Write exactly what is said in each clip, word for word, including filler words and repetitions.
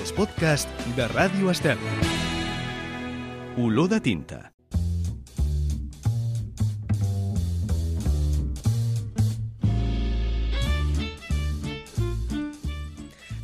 els podcasts de Ràdio Estel. Olor de tinta.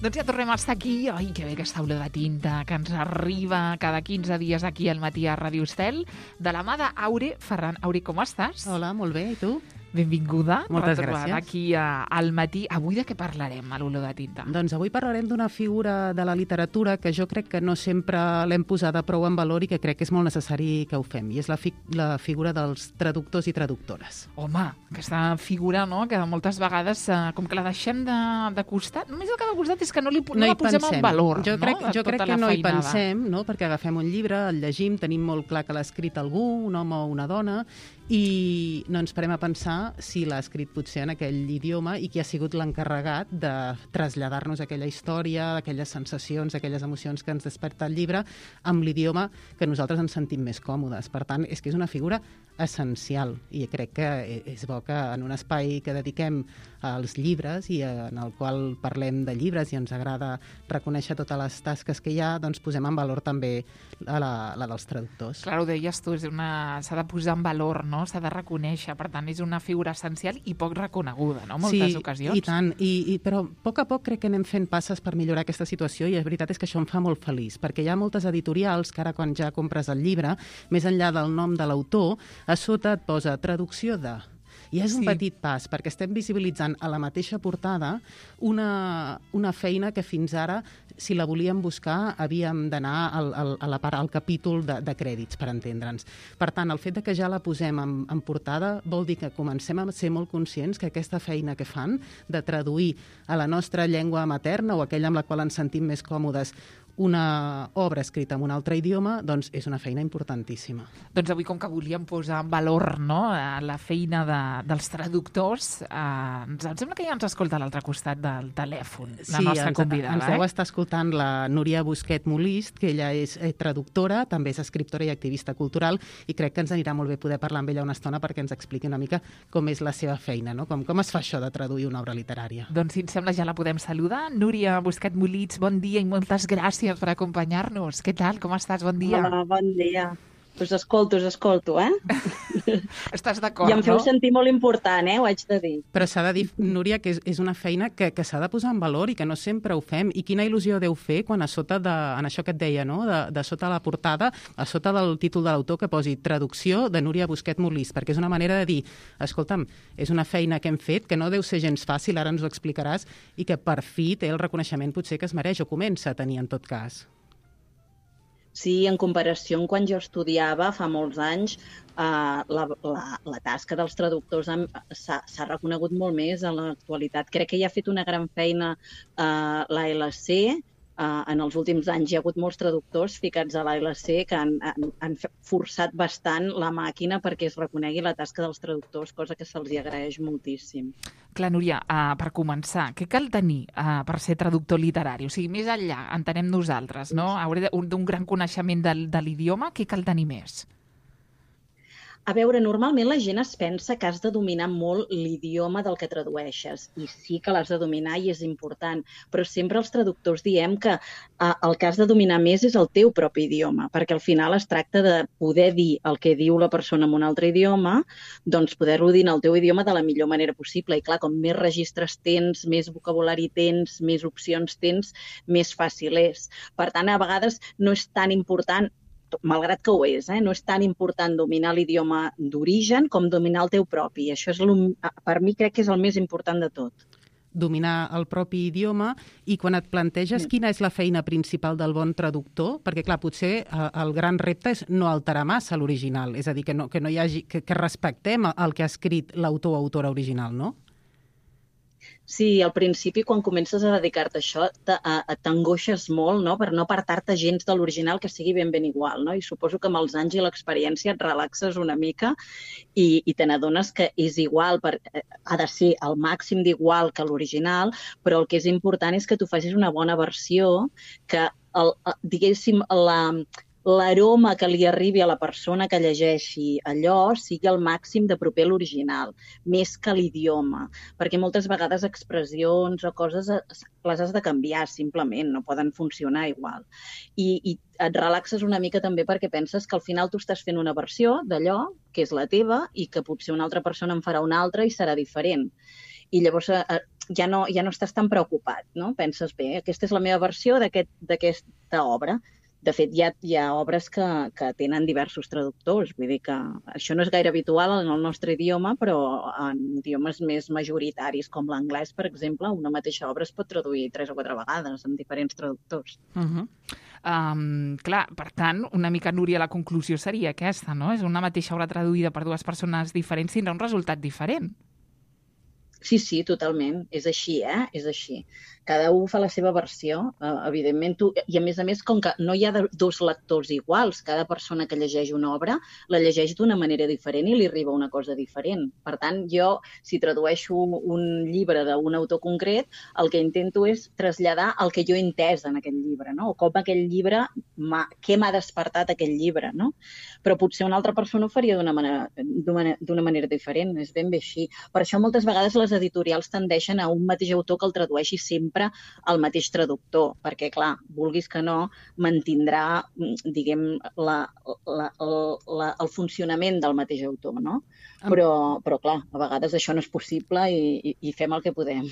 Doncs ja tornem a estar aquí. Ai, que bé aquesta olor de tinta que ens arriba cada quinze dies aquí al matí a Ràdio Estel, de la mà d'Aure Ferran. Aure, com estàs? Hola, molt bé, i tu? Benvinguda. Moltes retrobada gràcies. aquí a, al matí. Avui de què parlarem, a l'olor de tinta? Doncs avui parlarem d'una figura de la literatura que jo crec que no sempre l'hem posada prou en valor i que crec que és molt necessari que ho fem, i és la, fi la figura dels traductors i traductores. Home, aquesta figura, no?, que moltes vegades, eh, com que la deixem de, de costat, només el que de costat és que no, li, no, no la posem en valor, jo crec, no?, jo tota crec que la no hi feinada. pensem, no?, perquè agafem un llibre, el llegim, tenim molt clar que l'ha escrit algú, un home o una dona, i no ens parem a pensar si l'ha escrit potser en aquell idioma i qui ha sigut l'encarregat de traslladar-nos aquella història, aquelles sensacions, aquelles emocions que ens desperta el llibre amb l'idioma que nosaltres ens sentim més còmodes. Per tant, és que és una figura essencial i crec que és bo que en un espai que dediquem als llibres i en el qual parlem de llibres i ens agrada reconèixer totes les tasques que hi ha, doncs posem en valor també la, la dels traductors. Clar, ho deies tu, s'ha de posar en valor, no? S'ha de reconèixer, per tant és una figura essencial i poc reconeguda, no?, en moltes sí, ocasions. Sí, i tant, I, i, però a poc a poc crec que anem fent passes per millorar aquesta situació i la veritat és que això em fa molt feliç, perquè hi ha moltes editorials que ara quan ja compres el llibre, més enllà del nom de l'autor, a sota et posa traducció de... I és un Sí. petit pas, perquè estem visibilitzant a la mateixa portada una, una feina que fins ara, si la volíem buscar, havíem d'anar al, al, a la part, al capítol de, de crèdits, per entendre'ns. Per tant, el fet de que ja la posem en, en portada vol dir que comencem a ser molt conscients que aquesta feina que fan de traduir a la nostra llengua materna o aquella amb la qual ens sentim més còmodes una obra escrita en un altre idioma, doncs és una feina importantíssima. Doncs avui, com que volíem posar en valor, no?, la feina de, dels traductors, eh, em sembla que ja ens escolta a l'altre costat del telèfon, la sí, nostra ens, convidada. ens deu eh? estar escoltant la Núria Busquet Molist, que ella és eh, traductora, també és escriptora i activista cultural, i crec que ens anirà molt bé poder parlar amb ella una estona perquè ens expliqui una mica com és la seva feina, no? com, com es fa això de traduir una obra literària. Doncs, si em sembla, ja la podem saludar. Núria Busquet Molist, bon dia i moltes gràcies per acompanyar-nos. Què tal? Com estàs? Bon dia. Hola, bon dia. Us escolto, us escolto, eh? Estàs d'acord, I em feu no? sentir molt important, eh? Ho haig de dir. Però s'ha de dir, Núria, que és, és una feina que, que s'ha de posar en valor i que no sempre ho fem. I quina il·lusió deu fer quan a sota de, en això que et deia, no?, de, de sota la portada, a sota del títol de l'autor que posi traducció de Núria Busquet Molist, perquè és una manera de dir, escolta'm, és una feina que hem fet que no deu ser gens fàcil, ara ens ho explicaràs, i que per fi té el reconeixement potser que es mereix o comença a tenir en tot cas. Sí, en comparació amb quan jo estudiava fa molts anys, eh, la, la, la tasca dels traductors s'ha reconegut molt més en l'actualitat. Crec que hi ha fet una gran feina eh, l'A L C. Uh, en els últims anys hi ha hagut molts traductors ficats a l'A L C que han, han, han forçat bastant la màquina perquè es reconegui la tasca dels traductors, cosa que se'ls agraeix moltíssim. Clar, Núria, uh, per començar, què cal tenir uh, per ser traductor literari? O sigui, més enllà, entenem nosaltres, no?, hauré d'un gran coneixement de, de l'idioma, què cal tenir més? A veure, normalment la gent es pensa que has de dominar molt l'idioma del que tradueixes, i sí que l'has de dominar i és important, però sempre els traductors diem que eh, el que has de dominar més és el teu propi idioma, perquè al final es tracta de poder dir el que diu la persona en un altre idioma, doncs poder-ho dir en el teu idioma de la millor manera possible. I clar, com més registres tens, més vocabulari tens, més opcions tens, més fàcil és. Per tant, a vegades no és tan important, malgrat que ho és, eh? no és tan important dominar l'idioma d'origen com dominar el teu propi. Això és, per mi, crec que és el més important de tot. Dominar el propi idioma, i quan et planteges quina és la feina principal del bon traductor, perquè clar, potser el gran repte és no alterar massa l'original, és a dir, que, no, que, no hi hagi, que, que respectem el que ha escrit l'autor o autora original, no? Sí, al principi, quan comences a dedicar-te a això, t'angoixes molt, no?, per no apartar-te gens de l'original, que sigui ben ben igual, no? I suposo que amb els anys i l'experiència et relaxes una mica i, i te n'adones que és igual, per, ha de ser al màxim d'igual que l'original, però el que és important és que tu facis una bona versió, que, el, diguéssim, la... l'aroma que li arribi a la persona que llegeixi allò sigui el màxim de proper a l'original, més que l'idioma, perquè moltes vegades expressions o coses les has de canviar simplement, no poden funcionar igual. I, i et relaxes una mica també perquè penses que al final tu estàs fent una versió d'allò que és la teva i que potser una altra persona en farà una altra i serà diferent. I llavors ja no, ja no estàs tan preocupat, no? Penses, bé, aquesta és la meva versió d'aquesta obra. De fet, hi ha, hi ha obres que, que tenen diversos traductors, vull dir que això no és gaire habitual en el nostre idioma, però en idiomes més majoritaris, com l'anglès, per exemple, una mateixa obra es pot traduir tres o quatre vegades amb diferents traductors. Uh-huh. Um, clar, per tant, una mica, Núria, la conclusió seria aquesta, no? És una mateixa obra traduïda per dues persones diferents, tindrà un resultat diferent. Sí, sí, totalment. És així, eh? És així. Cada un fa la seva versió, eh, evidentment. Tu, I a més a més, com que no hi ha dos lectors iguals, cada persona que llegeix una obra la llegeix d'una manera diferent i li arriba una cosa diferent. Per tant, jo, si tradueixo un llibre d'un autor concret, el que intento és traslladar el que jo he entès en aquell llibre, no? O com aquell llibre, què m'ha despertat aquell llibre, no? Però potser una altra persona ho faria d'una manera, d'una manera diferent. És ben bé així. Per això moltes vegades les editorials tendeixen a un mateix autor que el tradueixi sempre el mateix traductor, perquè, clar, vulguis que no, mantindrà, diguem, la, la, la, el funcionament del mateix autor, no? Però, però, clar, a vegades això no és possible i, i, i fem el que podem.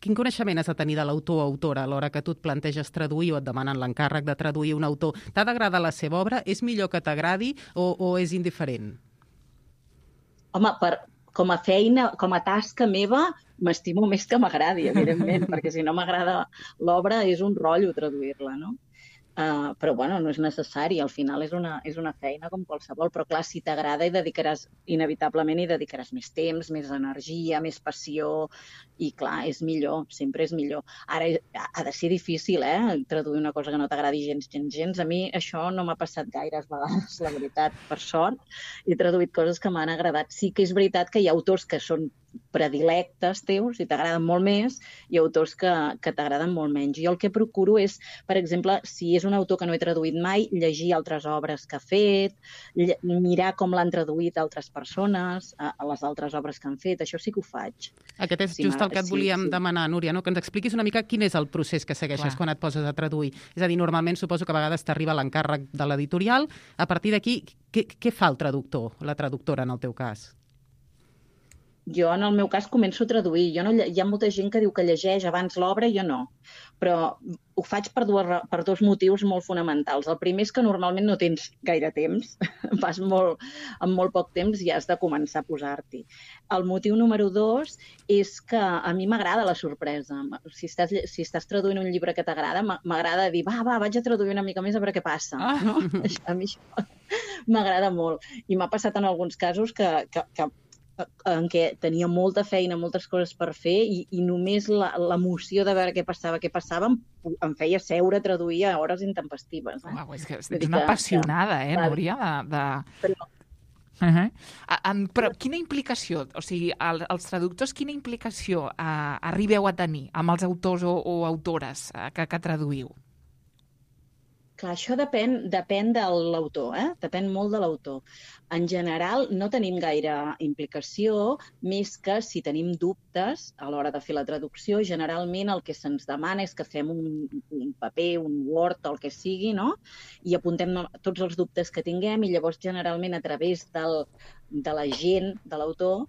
Quin coneixement has de tenir de l'autor o autora a l'hora que tu et planteges traduir o et demanen l'encàrrec de traduir un autor? T'ha d'agradar la seva obra? És millor que t'agradi o, o és indiferent? Home, per... com a feina, com a tasca meva, m'estimo més que m'agradi, evidentment, perquè si no m'agrada l'obra és un rotllo traduir-la, no? Uh, però, bueno, no és necessari, al final és una, és una feina com qualsevol, però clar, si t'agrada hi dedicaràs, inevitablement hi dedicaràs més temps, més energia, més passió, i clar, és millor, sempre és millor. Ara, ha de ser difícil, eh?, traduir una cosa que no t'agradi gens, gens, gens. A mi això no m'ha passat gaires vegades, la veritat, per sort. He traduït coses que m'han agradat. Sí que és veritat que hi ha autors que són predilectes teus i t'agraden molt més i autors que, que t'agraden molt menys. Jo el que procuro és, per exemple, si és un autor que no he traduït mai, llegir altres obres que ha fet, mirar com l'han traduït altres persones, a, a les altres obres que han fet. Això sí que ho faig. Aquest és sí, just el que et volíem sí, sí. demanar, Núria, no? Que ens expliquis una mica quin és el procés que segueixes Clar. quan et poses a traduir. És a dir, normalment suposo que a vegades t'arriba l'encàrrec de l'editorial. A partir d'aquí, què, què fa el traductor, la traductora en el teu cas? Jo, en el meu cas, començo a traduir. Jo no, hi ha molta gent que diu que llegeix abans l'obra, jo no. Però ho faig per, dues, per dos motius molt fonamentals. El primer és que normalment no tens gaire temps. Vas molt, amb molt poc temps i has de començar a posar-t'hi. El motiu número dos és que a mi m'agrada la sorpresa. Si estàs, si estàs traduint un llibre que t'agrada, m'agrada dir, va, va, vaig a traduir una mica més a veure què passa. Ah. No? A mi això m'agrada molt. I m'ha passat en alguns casos que... que, que en què tenia molta feina, moltes coses per fer i, i només l'emoció de veure què passava, què passava, em, em feia seure a traduir a hores intempestives. Eh? Uau, és que ets una apassionada, eh, Núria? De, de... Però... Uh -huh. uh, però quina implicació, o sigui, el, els traductors, quina implicació uh, arribeu a tenir amb els autors o, o autores uh, que, que traduïu? Clar, això depèn, depèn de l'autor, eh? Depèn molt de l'autor. En general, no tenim gaire implicació, més que si tenim dubtes a l'hora de fer la traducció, generalment el que se'ns demana és que fem un, un paper, un Word, el que sigui, no? I apuntem tots els dubtes que tinguem i llavors generalment a través del, de l'agent de l'autor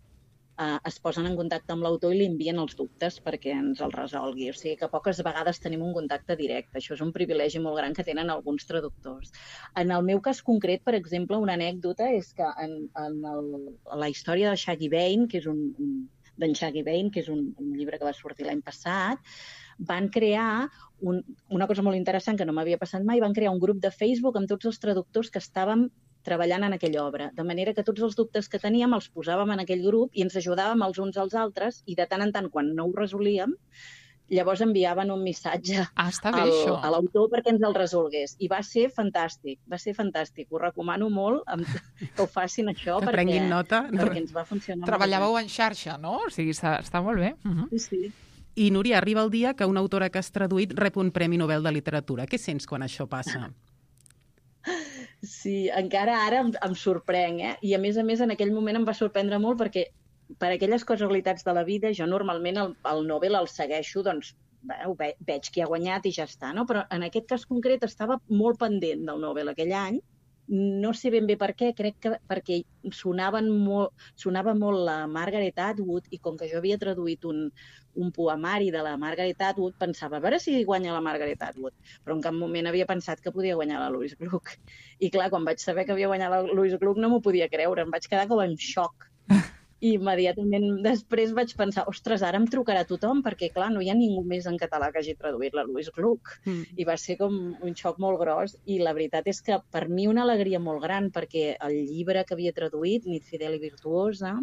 Uh, es posen en contacte amb l'autor i li envien els dubtes perquè ens els resolgui. O sigui que poques vegades tenim un contacte directe. Això és un privilegi molt gran que tenen alguns traductors. En el meu cas concret, per exemple, una anècdota és que en, en el, la història de Shaggy Vane, que és un, un d'en Shaggy Vane, que és un, un llibre que va sortir l'any passat, van crear un, una cosa molt interessant que no m'havia passat mai, van crear un grup de Facebook amb tots els traductors que estàvem treballant en aquella obra, de manera que tots els dubtes que teníem els posàvem en aquell grup i ens ajudàvem els uns als altres i de tant en tant, quan no ho resolíem, llavors enviaven un missatge ah, al, a l'autor perquè ens el resolgués. I va ser fantàstic, va ser fantàstic. Ho recomano molt que ho facin això que perquè, prenguin nota. perquè ens va funcionar. Treballàveu en xarxa, no? O sigui, està, està molt bé. Uh-huh. Sí, sí. I, Núria, arriba el dia que una autora que has traduït rep un Premi Nobel de Literatura. Què sents quan això passa? Sí, encara ara em, em sorprenc, eh? I a més a més en aquell moment em va sorprendre molt perquè per aquelles casualitats de la vida jo normalment el, el Nobel el segueixo, doncs bé, ve, veig qui ha guanyat i ja està, no? Però en aquest cas concret estava molt pendent del Nobel aquell any, no sé ben bé per què, crec que perquè sonaven molt, sonava molt la Margaret Atwood i com que jo havia traduït un, un poemari de la Margaret Atwood, pensava, a veure si guanya la Margaret Atwood, però en cap moment havia pensat que podia guanyar la Louise Gluck. I clar, quan vaig saber que havia guanyat la Louise Gluck no m'ho podia creure, em vaig quedar com en xoc. I immediatament després vaig pensar, ostres, ara em trucarà tothom, perquè clar, no hi ha ningú més en català que hagi traduït la Louise Gluck. Mm. I va ser com un xoc molt gros, i la veritat és que per mi una alegria molt gran, perquè el llibre que havia traduït, Nit fidel i virtuosa,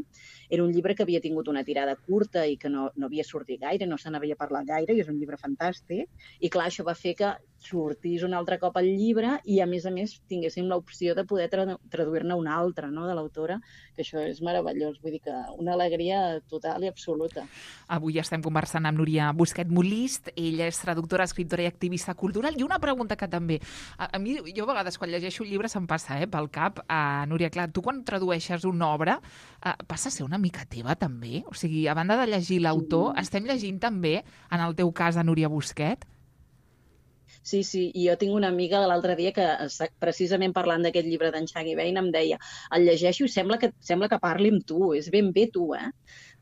era un llibre que havia tingut una tirada curta i que no, no havia sortit gaire, no se n'havia parlat gaire, i és un llibre fantàstic. I clar, això va fer que sortís un altre cop el llibre i, a més a més, tinguéssim l'opció de poder tra traduir-ne un altre, no?, de l'autora, que això és meravellós. Vull dir que una alegria total i absoluta. Avui estem conversant amb Núria Busquet Molist. Ella és traductora, escriptora i activista cultural. I una pregunta que també... A, a mi, jo a vegades, quan llegeixo un llibre, se'm passa eh, pel cap. Uh, Núria, clar, tu quan tradueixes una obra, uh, passa a ser una mica teva, també? O sigui, a banda de llegir l'autor, sí. Estem llegint també, en el teu cas, a Núria Busquet? Sí, sí, i jo tinc una amiga de l'altre dia que, precisament parlant d'aquest llibre d'en Shaggy Bain, em deia, el llegeixo i sembla que, sembla que parli amb tu, és ben bé tu, eh?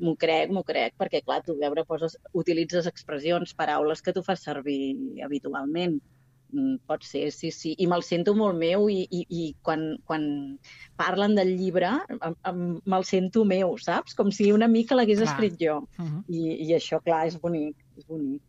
M'ho crec, m'ho crec, perquè, clar, tu veure, poses, utilitzes expressions, paraules que tu fas servir habitualment. Pot ser, sí, sí. I me'l sento molt meu i, i, i quan, quan parlen del llibre me'l sento meu, saps? Com si una mica l'hagués escrit jo. Uh-huh. I, I això, clar, és bonic, és bonic.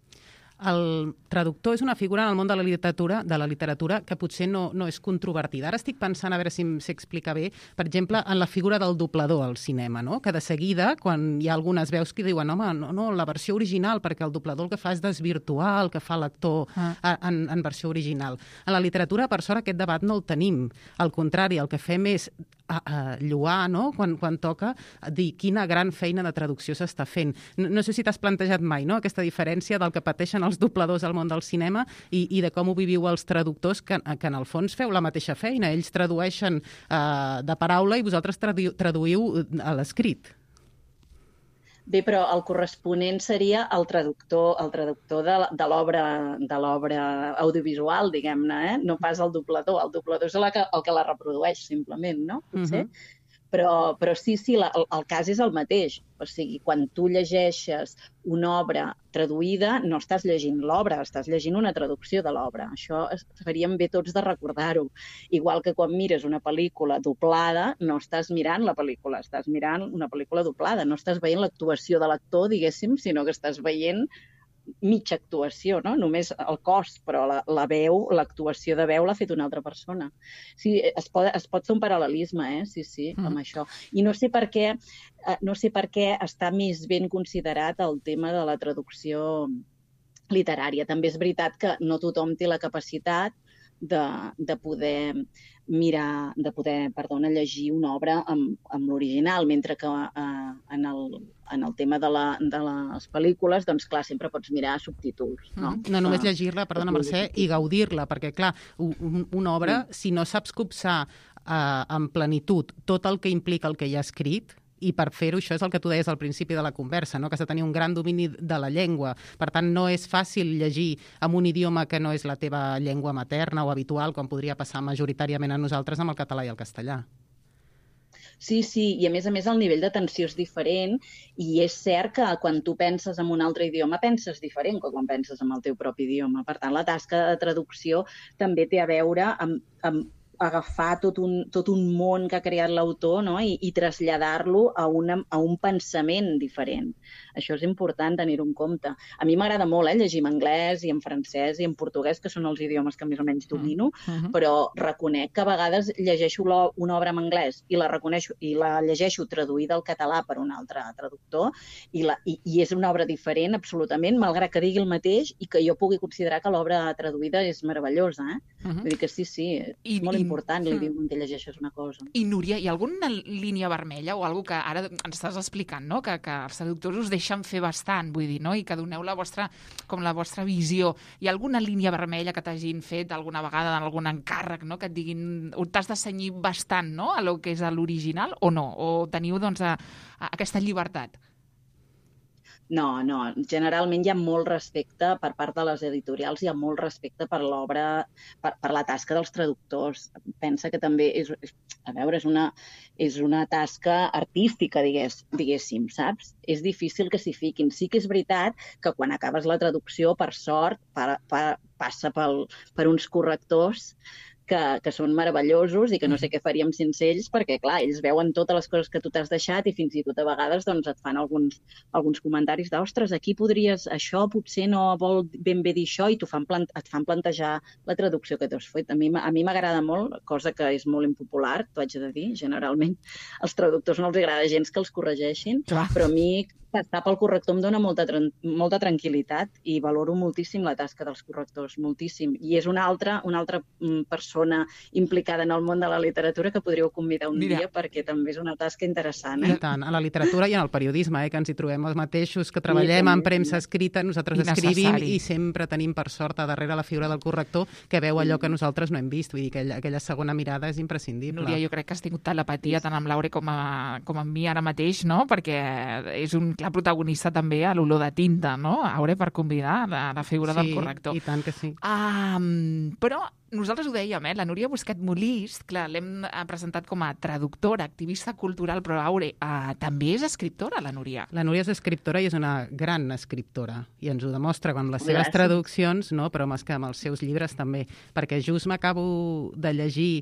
El traductor és una figura en el món de la literatura, de la literatura que potser no, no és controvertida. Ara estic pensant, a veure si s'explica bé, per exemple, en la figura del doblador al cinema, no? Que de seguida, quan hi ha algunes veus que diuen home, no, no, la versió original, perquè el doblador el que fa és desvirtuar el que fa l'actor ah. en, en versió original. En la literatura, per sort, aquest debat no el tenim. Al contrari, el que fem és a, a lloar, no?, quan, quan toca dir quina gran feina de traducció s'està fent. No, no sé si t'has plantejat mai, no?, aquesta diferència del que pateixen els dobladors al món del cinema i, i de com ho viviu els traductors, que, que en el fons feu la mateixa feina. Ells tradueixen eh, de paraula i vosaltres tradu traduïu a l'escrit. Bé, però el corresponent seria el traductor, el traductor de, de l'obra de l'obra audiovisual, diguem-ne, eh? No pas el doblador. El doblador és el que, el que la reprodueix, simplement, no? Potser. Uh-huh. Però, però sí, sí, la, el, el cas és el mateix. O sigui, quan tu llegeixes una obra traduïda, no estàs llegint l'obra, estàs llegint una traducció de l'obra. Això faríem bé tots de recordar-ho. Igual que quan mires una pel·lícula doblada, no estàs mirant la pel·lícula, estàs mirant una pel·lícula doblada. No estàs veient l'actuació de l'actor, diguéssim, sinó que estàs veient mitja actuació, no? Només el cos, però la, la veu, l'actuació de veu l'ha fet una altra persona. Sí, es pot, es pot fer un paral·lelisme, eh? Sí, sí, mm. amb això. I no sé per què, no sé per què està més ben considerat el tema de la traducció literària. També és veritat que no tothom té la capacitat de, de poder mirar, de poder, perdona, llegir una obra amb, amb l'original, mentre que eh, en, el, en el tema de, la, de les pel·lícules, doncs clar, sempre pots mirar subtítols, no? Mm. No només llegir-la, perdona Mercè, i gaudir-la, perquè clar, un, una obra, mm. si no saps copsar eh, en plenitud tot el que implica el que hi ha escrit, i per fer-ho, això és el que tu deies al principi de la conversa, no? Que has de tenir un gran domini de la llengua. Per tant, no és fàcil llegir en un idioma que no és la teva llengua materna o habitual, com podria passar majoritàriament a nosaltres amb el català i el castellà. Sí, sí, i a més a més el nivell d'atenció és diferent i és cert que quan tu penses en un altre idioma penses diferent que quan penses en el teu propi idioma. Per tant, la tasca de traducció també té a veure amb, amb agafar tot un, tot un món que ha creat l'autor, no? I, i traslladar-lo a, una, a un pensament diferent. Això és important tenir-ho en compte. A mi m'agrada molt eh, llegir en anglès i en francès i en portuguès, que són els idiomes que més o menys domino, uh-huh. però reconec que a vegades llegeixo una obra en anglès i la reconeixo i la llegeixo traduïda al català per un altre traductor i, la, i, i és una obra diferent absolutament, malgrat que digui el mateix i que jo pugui considerar que l'obra traduïda és meravellosa. Eh? Uh-huh. Vull dir que sí, sí, és I, molt i important. important l'idioma en què llegeixes una cosa. I, Núria, hi ha alguna línia vermella o alguna que ara ens estàs explicant, no? Que, que els traductors us deixen fer bastant, vull dir, no? I que doneu la vostra, com la vostra visió. Hi ha alguna línia vermella que t'hagin fet alguna vegada en algun encàrrec, no? Que et diguin, t'has de cenyir bastant, no?, a lo que és l'original, o no? O teniu, doncs, a, a aquesta llibertat? No, no. Generalment hi ha molt respecte per part de les editorials, hi ha molt respecte per l'obra, per, per la tasca dels traductors. Pensa que també és, a veure, és una, és una tasca artística, digués, diguéssim, saps? És difícil que s'hi fiquin. Sí que és veritat que quan acabes la traducció, per sort, per, per, passa pel, per uns correctors que, que són meravellosos i que no sé què faríem sense ells, perquè, clar, ells veuen totes les coses que tu t'has deixat i fins i tot a vegades doncs, et fan alguns, alguns comentaris de, ostres, aquí podries, això potser no vol ben bé dir això, i fan plant, et fan plantejar la traducció que tu has fet. A mi, a mi m'agrada molt, cosa que és molt impopular, t'ho haig de dir, generalment. Als traductors no els agrada gens que els corregeixin, clar. Però a mi passar pel corrector em dona molta, molta tranquil·litat i valoro moltíssim la tasca dels correctors, moltíssim. I és una altra, una altra persona implicada en el món de la literatura que podríeu convidar un Mira. dia, perquè també és una tasca interessant. Eh? I tant, a la literatura i en el periodisme, eh, que ens hi trobem els mateixos, que treballem en premsa escrita, nosaltres escrivim i sempre tenim per sort a darrere la figura del corrector que veu allò que nosaltres no hem vist. Vull dir que aquella, aquella segona mirada és imprescindible. Núria, jo crec que has tingut telepatia tant amb l'Aure com, a, com amb mi ara mateix, no? Perquè és un clar protagonista també a l'olor de tinta, no? Aure, per convidar la, la figura sí, del corrector. I tant que sí. Um, però nosaltres ho dèiem, eh? La Núria Busquet Molist, clar, l'hem presentat com a traductora, activista cultural, però Aure, uh, també és escriptora, la Núria. La Núria és escriptora i és una gran escriptora, i ens ho demostra amb les seves Gràcies. traduccions, no? Però més que amb els seus llibres també, perquè just m'acabo de llegir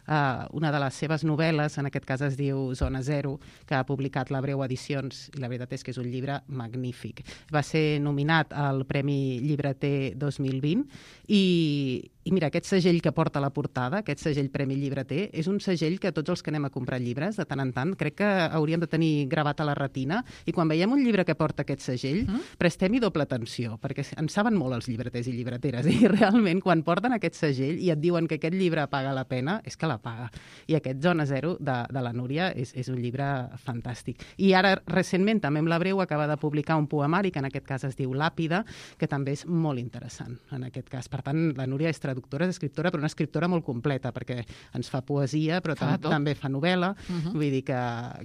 uh, una de les seves novel·les, en aquest cas es diu Zona Zero, que ha publicat la Breu Edicions, i la veritat és que és un llibre magnífic. Va ser nominat al Premi Llibreter dos mil vint, i, i mira, aquest segell que porta la portada, aquest segell Premi Llibreter, és un segell que tots els que anem a comprar llibres, de tant en tant, crec que hauríem de tenir gravat a la retina, i quan veiem un llibre que porta aquest segell, mm? prestem-hi doble atenció, perquè en saben molt els llibreters i llibreteres, i realment quan porten aquest segell i et diuen que aquest llibre paga la pena, és que la paga. I aquest Zona Zero de, de la Núria és, és un llibre fantàstic. I ara, recentment, també amb la Breu, acaba de publicar un poemari, que en aquest cas es diu Làpida, que també és molt interessant, en aquest cas. Per tant, la Núria és traductora, és escriptora, però una escriptora molt completa, perquè ens fa poesia, però fa tam també fa novel·la, uh-huh. vull dir que,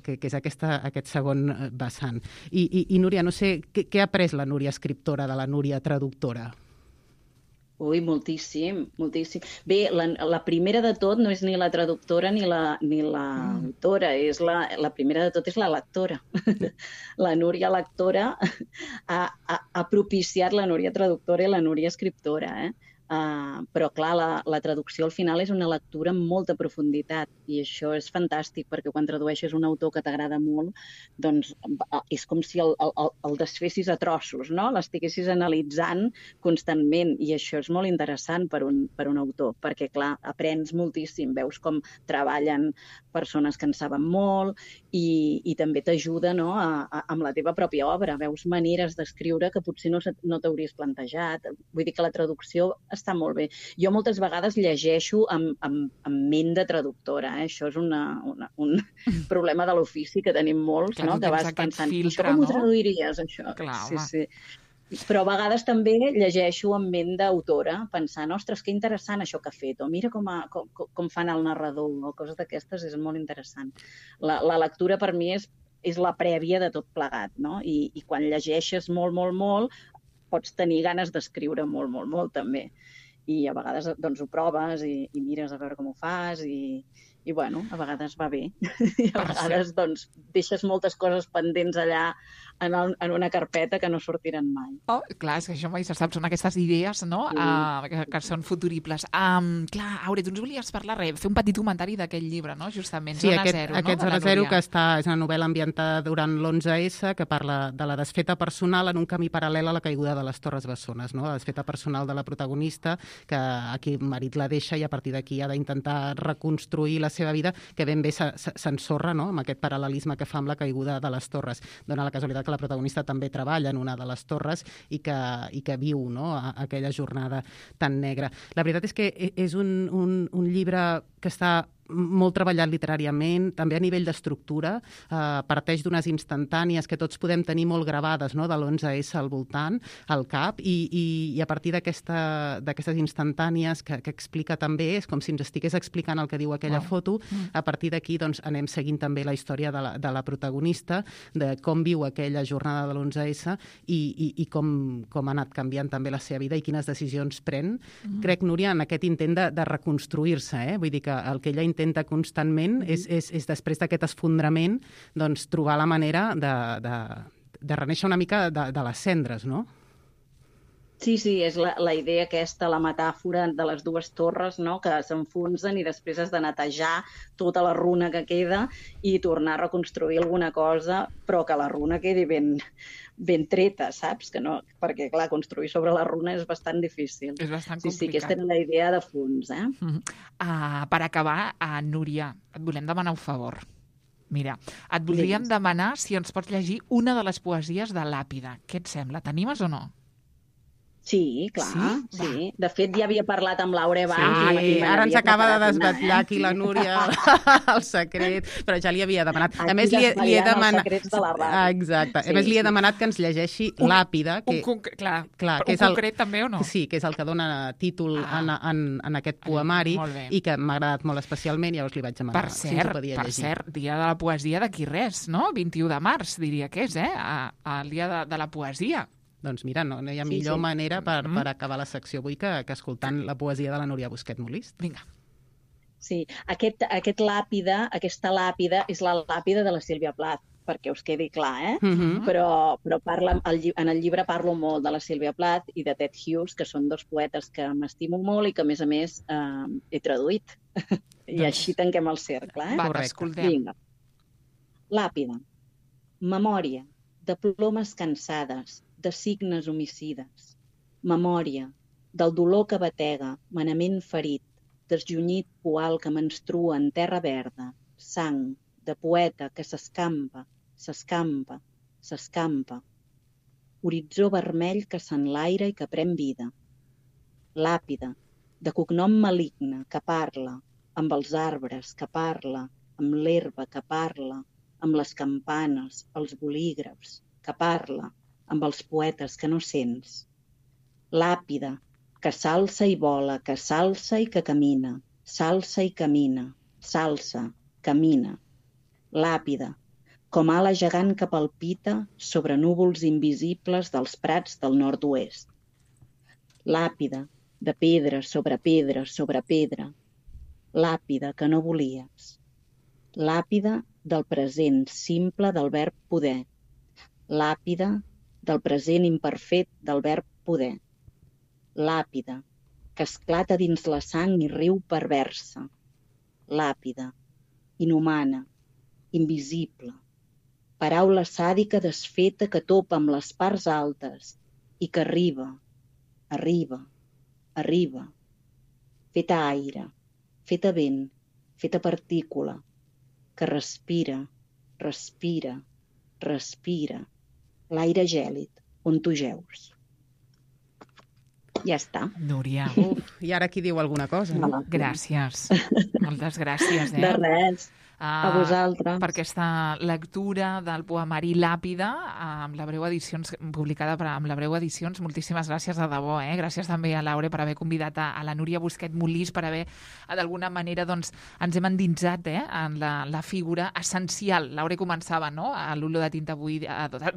que, que és aquesta, aquest segon vessant. I, i, i Núria, no sé, què, què ha après la Núria escriptora de la Núria traductora? Ui, moltíssim, moltíssim. Bé, la, la primera de tot no és ni la traductora ni la, ni l'autora, mm. és la, la primera de tot és la lectora. La Núria lectora ha, ha, ha propiciat la Núria traductora i la Núria escriptora, eh? Uh, però, clar, la, la traducció al final és una lectura amb molta profunditat i això és fantàstic perquè quan tradueixes un autor que t'agrada molt, doncs és com si el, el, el desfessis a trossos, no? L'estiguessis analitzant constantment i això és molt interessant per un, per un autor perquè, clar, aprens moltíssim, veus com treballen persones que en saben molt i, i també t'ajuda, no? a, a, amb la teva pròpia obra, veus maneres d'escriure que potser no, no t'hauries plantejat. Vull dir que la traducció està molt bé. Jo moltes vegades llegeixo amb, amb, amb ment de traductora. Eh? Això és una, una, un problema de l'ofici que tenim molts, clar, no? Que vas pensant, filtre, això com ho traduiries, això? Clar, sí, sí. Però a vegades també llegeixo amb ment d'autora, pensant, ostres, que interessant això que ha fet, o mira com, a, com, com fan el narrador, o coses d'aquestes, és molt interessant. La, la lectura per mi és, és la prèvia de tot plegat, no? I, i quan llegeixes molt, molt, molt, pots tenir ganes d'escriure molt, molt, molt, també. I a vegades doncs, ho proves i, i mires a veure com ho fas i, i bueno, a vegades va bé. I a vegades doncs, deixes moltes coses pendents allà en, el, en una carpeta que no sortiran mai. Oh, clar, és que això mai se sap, són aquestes idees, no?, sí. uh, que, que són futuribles. Um, clar, Aure, tu ens volies parlar res, fer un petit comentari d'aquest llibre, no?, justament, sí, Zona aquest, Zero, no?, aquest Zona Zero, que està, és una novel·la ambientada durant l'onze esse, que parla de la desfeta personal en un camí paral·lel a la caiguda de les Torres Bessones, no?, la desfeta personal de la protagonista, que aquí el marit la deixa i a partir d'aquí ha d'intentar reconstruir la la seva vida, que ben bé s'ensorra, no?, amb aquest paral·lelisme que fa amb la caiguda de les torres. Dóna la casualitat que la protagonista també treballa en una de les torres i que, i que viu, no?, aquella jornada tan negra. La veritat és que és un, un, un llibre que està molt treballat literàriament, també a nivell d'estructura, eh, parteix d'unes instantànies que tots podem tenir molt gravades, no?, de l'onze esse al voltant, al cap, i, i, i a partir d'aquesta, d'aquestes instantànies que, que explica també, és com si ens estigués explicant el que diu aquella wow. foto, a partir d'aquí doncs, anem seguint també la història de la, de la protagonista, de com viu aquella jornada de l'onze esse i, i, i com, com ha anat canviant també la seva vida i quines decisions pren. Mm. Crec, Núria, en aquest intent de, de reconstruir-se, eh? Vull dir que el que ella intenta constantment és, és, és després d'aquest esfondrament doncs, trobar la manera de, de, de renéixer una mica de, de les cendres, no? Sí, sí, és la, la idea aquesta, la metàfora de les dues torres, no?, que s'enfonsen i després has de netejar tota la runa que queda i tornar a reconstruir alguna cosa, però que la runa quedi ben, ben treta, saps? Que no, perquè, clar, construir sobre la runa és bastant difícil. És bastant complicat. Sí, sí, aquesta era la idea de fons, eh? Mm-hmm. Uh, per acabar, uh, Núria, et volem demanar un favor. Mira, et voldríem sí. demanar si ens pots llegir una de les poesies de Làpida. Què et sembla? T'animes o no? Sí, clar, sí. sí. De fet, ja havia parlat amb Laura abans. Sí, i ara ens acaba de desvetllar aquí la Núria el secret, però ja li havia demanat. Aquí a més, li he, li he demanat... els secrets de la ràdio. Ah, exacte. Sí, a més, li he demanat que ens llegeixi un, Làpida. Que... Un, conc... clar, clar, que és un el... concret també o no? Sí, que és el que dona títol ah. en, en, en aquest poemari i que m'ha agradat molt especialment, llavors li vaig demanar per cert, si ens ho podia per llegir. Per cert, dia de la poesia d'aquí res, no? vint-i-u de març, diria que és, eh? El dia de, de la poesia. Doncs mira, no, no hi ha sí, millor sí. manera per, per acabar la secció avui que, que escoltant la poesia de la Núria Busquet Molist. Vinga. Sí, aquest, aquest làpida, aquesta làpida és la làpida de la Sílvia Plath, perquè us quedi clar, eh? Uh-huh. Però, però parla, en el llibre parlo molt de la Sílvia Plath i de Ted Hughes, que són dos poetes que m'estimo molt i que, a més a més, eh, he traduït. I doncs... així tanquem el cercle, eh? Va, t'escoltem. Vinga. Làpida. Memòria de plomes cansades, de signes homicides. Memòria del dolor que batega, manament ferit, desjunyit poal que menstrua en terra verda, sang de poeta que s'escampa, s'escampa, s'escampa. Horitzó vermell que s'enlaira i que pren vida. Làpida, de cognom maligne que parla, amb els arbres que parla, amb l'herba que parla, amb les campanes, els bolígrafs, que parla, amb els poetes que no sents. Làpida, que s'alça i vola, que s'alça i que camina, s'alça i camina, s'alça, camina. Làpida, com ala gegant que palpita sobre núvols invisibles dels prats del nord-oest. Làpida, de pedra sobre pedra sobre pedra. Làpida que no volies. Làpida del present simple del verb poder. Làpida del present imperfet del verb poder. Làpida, que esclata dins la sang i riu perversa. Làpida, inhumana, invisible. Paraula sàdica desfeta que topa amb les parts altes i que arriba, arriba, arriba. Feta aire, feta vent, feta partícula, que respira, respira, respira. L'aire gèlid, on tu jeus. Ja està. Núria. Uf, i ara qui diu alguna cosa? No? Gràcies. Moltes gràcies, eh? De res. Uh, a vosaltres. Per aquesta lectura del poemari Làpida, amb la Breu Edicions, publicada per, amb la Breu Edicions. Moltíssimes gràcies de debò, eh? Gràcies també a Laura per haver convidat a, a la Núria Busquet Molist, per haver, d'alguna manera, doncs, ens hem endinsat eh? en la, la figura essencial. Laura començava, no?, a l'Olor de Tinta avui,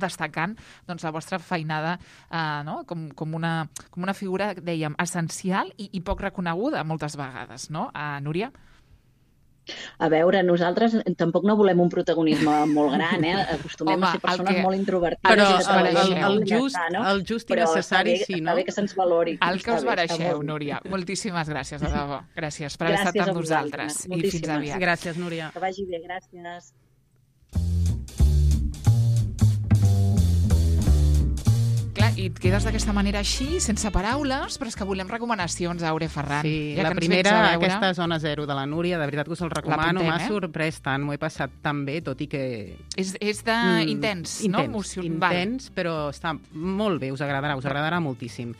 destacant doncs, la vostra feinada eh, no? com, com, una, com una figura, dèiem, essencial i, i poc reconeguda moltes vegades, no?, a Núria? A veure, nosaltres tampoc no volem un protagonisme molt gran, eh? Acostumem Home, a ser persones que... molt introvertides. Però el, el, el, el, el, just, no? el just i necessari, bé, sí, no? Està bé que se'ns valori. El que us mereixeu, Núria. Moltíssimes gràcies, de debò. Gràcies per haver gràcies estat amb nosaltres. I fins aviat. Gràcies, Núria. Que vagi bé, gràcies. Clar, i et quedes d'aquesta manera així, sense paraules, però és que volem recomanacions, Aure Ferran. Sí, ja la que primera, aquesta Zona Zero de la Núria, de veritat que us el recomano, m'ha eh? sorprès tant, m'ho he passat tan bé, tot i que... És, és de mm, intens, intens, no? Emoció... Intens, Val. Però està molt bé, us agradarà, us agradarà moltíssim.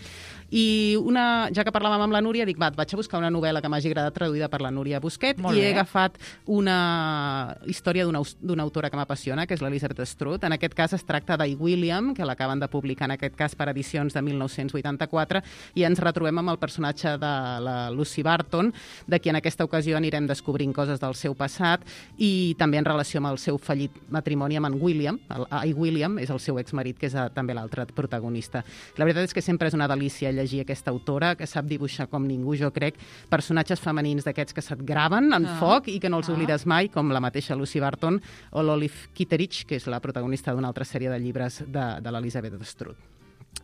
I una, ja que parlàvem amb la Núria, dic, va, vaig a buscar una novel·la que m'hagi agradat traduïda per la Núria Busquet Molt i bé. he agafat una història d'una d'una autora que m'apassiona, que és l'Elizabeth Strout. En aquest cas es tracta d'I. William, que l'acaben de publicar en aquest cas per edicions de mil nou-cents vuitanta-quatre, i ens retrobem amb el personatge de la Lucy Barton, de qui en aquesta ocasió anirem descobrint coses del seu passat i també en relació amb el seu fallit matrimoni amb en William. El, I. William és el seu exmarit, que és a, també l'altre protagonista. La veritat és que sempre és una delícia llegir aquesta autora, que sap dibuixar com ningú, jo crec, personatges femenins d'aquests que se't graven en ah. foc i que no els ah. oblides mai, com la mateixa Lucy Barton o l'Olive Kitteridge, que és la protagonista d'una altra sèrie de llibres de, de l'Elizabeth Strout.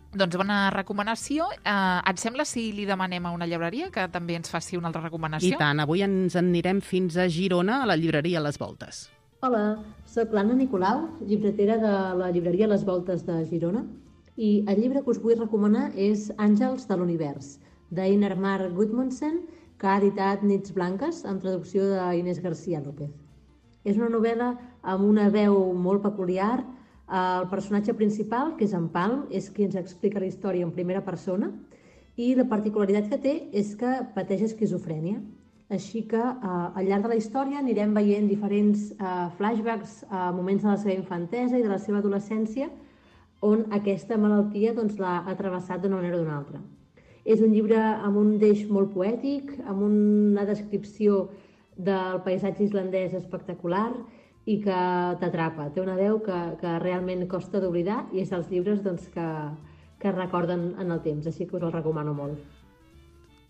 Doncs bona recomanació. Uh, et sembla si li demanem a una llibreria que també ens faci una altra recomanació? I tant, avui ens en anirem fins a Girona, a la llibreria Les Voltes. Hola, soc l'Anna Nicolau, llibretera de la llibreria Les Voltes de Girona, i el llibre que us vull recomanar és Àngels de l'univers, d'Einar Mar Gudmundsen, que ha editat Nits Blanques, amb traducció d'Inés García López. És una novel·la amb una veu molt peculiar. El personatge principal, que és en Palm, és qui ens explica la història en primera persona, i la particularitat que té és que pateix esquizofrènia. Així que eh, al llarg de la història anirem veient diferents eh, flashbacks a moments de la seva infantesa i de la seva adolescència, on aquesta malaltia doncs, l'ha travessat d'una manera o d'una altra. És un llibre amb un deix molt poètic, amb una descripció del paisatge islandès espectacular i que t'atrapa. Té una veu que, que realment costa d'oblidar i és dels llibres doncs, que, que recorden en el temps, així que us el recomano molt.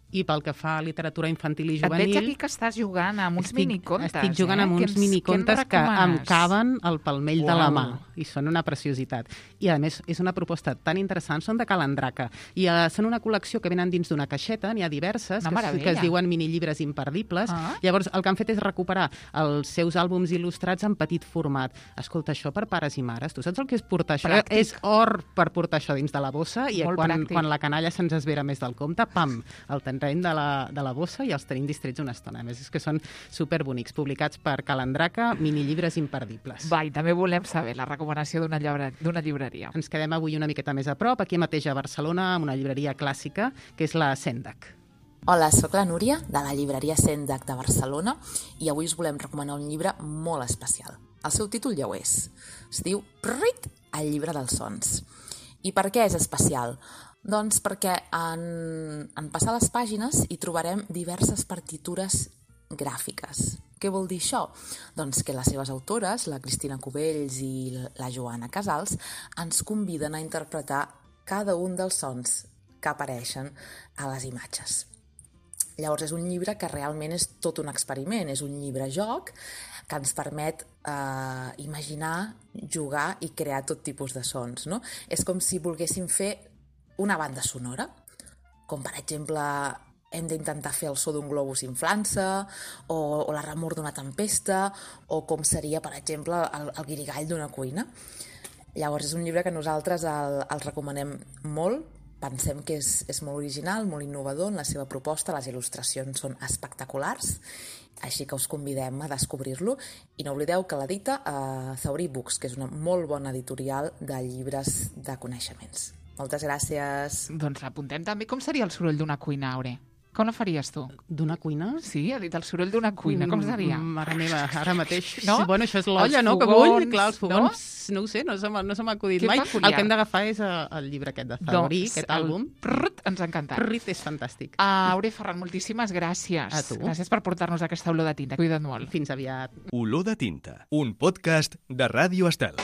I pel que fa a literatura infantil i Et juvenil... veig aquí que estàs jugant amb uns estic, minicontes. Estic jugant eh? amb uns ens, minicontes que, que em caben al palmell Uau. de la mà i són una preciositat. I a més és una proposta tan interessant, són de Calandraca i uh, són una col·lecció que venen dins d'una caixeta, n'hi ha diverses, que, que es diuen minillibres imperdibles. Ah. Llavors el que han fet és recuperar els seus àlbums il·lustrats en petit format. Escolta, això per pares i mares, tu saps el que és portar això? Pràctic. És or per portar això dins de la bossa i quan, quan la canalla se'ns esvera més del compte, pam, el tenreny de la de la bossa i els tenim distrets una estona. A més, és que són superbonics, publicats per Calandraca, minillibres imperdibles. Va, i també volem saber la recomanació d'una llibre, d'una llibreria. Ens quedem avui una miqueta més a prop, aquí mateix a Barcelona, amb una llibreria clàssica, que és la Sendac. Hola, sóc la Núria, de la llibreria Sendac de Barcelona, i avui us volem recomanar un llibre molt especial. El seu títol ja ho és. Es diu Prrit, el llibre dels sons. I per què és especial? Doncs perquè en, en passar les pàgines hi trobarem diverses partitures gràfiques. Què vol dir això? Doncs que les seves autores, la Cristina Cubells i la Joana Casals, ens conviden a interpretar cada un dels sons que apareixen a les imatges. Llavors és un llibre que realment és tot un experiment, és un llibre-joc que ens permet eh, imaginar, jugar i crear tot tipus de sons, no? És com si volguéssim fer una banda sonora, com per exemple hem d'intentar fer el so d'un globus inflant-se o, o la remor d'una tempesta o com seria, per exemple, el, el guirigall d'una cuina. Llavors és un llibre que nosaltres el, el recomanem molt, pensem que és, és molt original, molt innovador en la seva proposta, les il·lustracions són espectaculars, així que us convidem a descobrir-lo i no oblideu que l'edita a Zaurí Books, que és una molt bona editorial de llibres de coneixements. Moltes gràcies. Doncs apuntem també com seria el soroll d'una cuina, Aure. Com la faries tu? D'una cuina? Sí, ha dit el soroll d'una cuina. Com seria? Mm, mare meva, ara mateix... No? Bueno, això és l'olla, no? Que bull. Clar, els fogons, no, no ho sé, no se m'ha no acudit que mai. Peculiar. El que hem d'agafar és el llibre aquest de Zaurí, doncs, aquest àlbum. Prrt, ens ha encantat. Prrit és fantàstic. Uh, Aure Ferran, moltíssimes gràcies. A tu. Gràcies per portar-nos aquesta olor de tinta. Cuida't molt. Fins aviat. Olor de tinta, un podcast de Ràdio Estel.